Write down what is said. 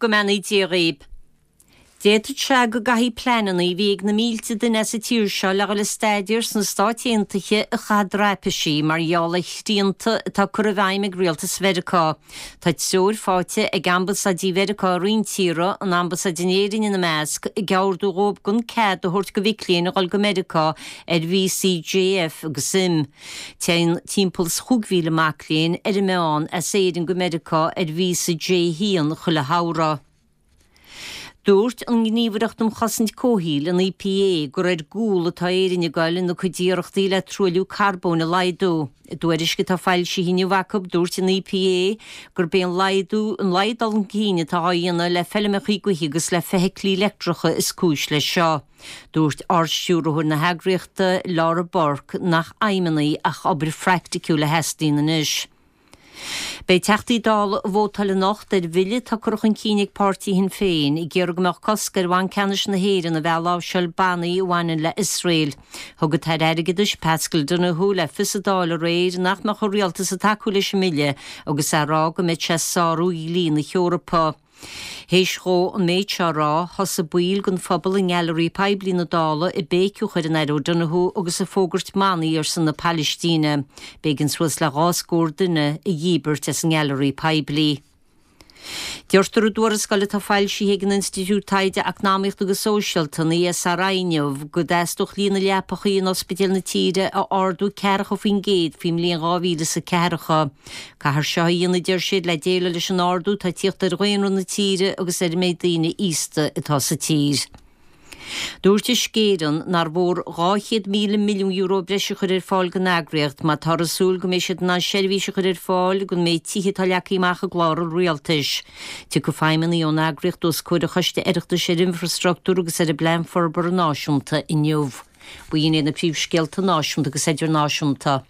Go mbeannaí Dia dhaoib. D'fhéadfadh sé go gcaithfí pleananna a bhí ag na mílte duine as an tír seo le dhul ag staidéar sna Stáit Aontaithe a chaitheamh draipisí mar gheall ar shrianta atá curtha i bhfeidhm ag rialtas Mheiriceá. Tá treoir faighte ag ambasáidí Mheiriceá i roinnt tíortha, an ambasáid in Éirinn ina measc, ag ordú dhóibh gan cead a thabhairt go mhic léinn a dhul go Meiriceá ar víosaí J, F agus M. Téann timpeall is 5,000 mac léinn ar an meán as Éirinn go Meiriceá ar víosa J1 chuile shamhradh. Dúirt an Ghníomhaireacht um Chosaint Comhshaoil, an EPA, gur ar gcúl atá Éirinn ag goil ina cuid iarrachtaí le truailliú carbóin a laghdú. I dtuairisc atá foilsithe inniu acu, dúirt an EPA gurb é an laghdú an laghad dul chun cinn atá á dhéanamh le feilmeacha gaoithe agus le feithiclí leictreacha is cúis leis seo. Dúirt Ard-Stiúrthóir na heagraíochta, Laura Burke, nach aidhmeanna ach obair phraiticiúil a theastaíonn anois. Beidh Teachtaí Dála ag vótáil anocht ar bhille atá curtha chun cinn ag páirtí Shinn Féin ag iarraidh go mbeadh cosc ar Bhanc Ceannais na hÉireann a bheith ag láimhseáil bannaí a bhaineann le Iosrael. Thug an tAire Airgeadais, Paschal Donohoe, le fios sa Dáil aréir nach mbeadh an Rialtas ag tacú leis an mbille agus é ag rá go mbeadh sé ag sárú dhlí na hEorpa. Théis dhó an méid seo a rá, thosaigh baill den phobal i nGailearaí Poiblí na Dála ag béiceadh ar an Aire O'Donohoe agus ag fógairt manaí ar son na Palaistíne. B'éigean suas le 20 scór duine a dhíbirt as an nGailearaí Poiblí. Deirtear i dtuarascáil atá foilsithe ag an Institiúid Taighde Eacnamaíochta agus Sóisialta, an ESRI, inniu, go dteastódh líon na leapachaí in ospidéil na tíre a ardú 40% faoin mbliain 2040. Caithfear seo a dhéanamh, a deir siad, le déileáil leis an ardú atá ag tíocht ar dhaonra na tíre agus ar an méid daoine aosta atá sa tír. Dúirt Uisce Éireann nár mhór €200,000 milliún breise a chur ar fáil don eagraíocht má táthar ag súil go mbeidh siad in ann seirbhís a chur ar fáil don méid tithe atá leagtha amach i gclár an Rialtais. Tiocfaidh feidhmeannaigh ón eagraíocht os comhair an Choiste Oireachtais ar Infreastruchtúr agus ar an bPlean Forbartha Náisiúnta inniu. B'in iad na príomhscéalta náisiúnta agus idirnáisiúnta.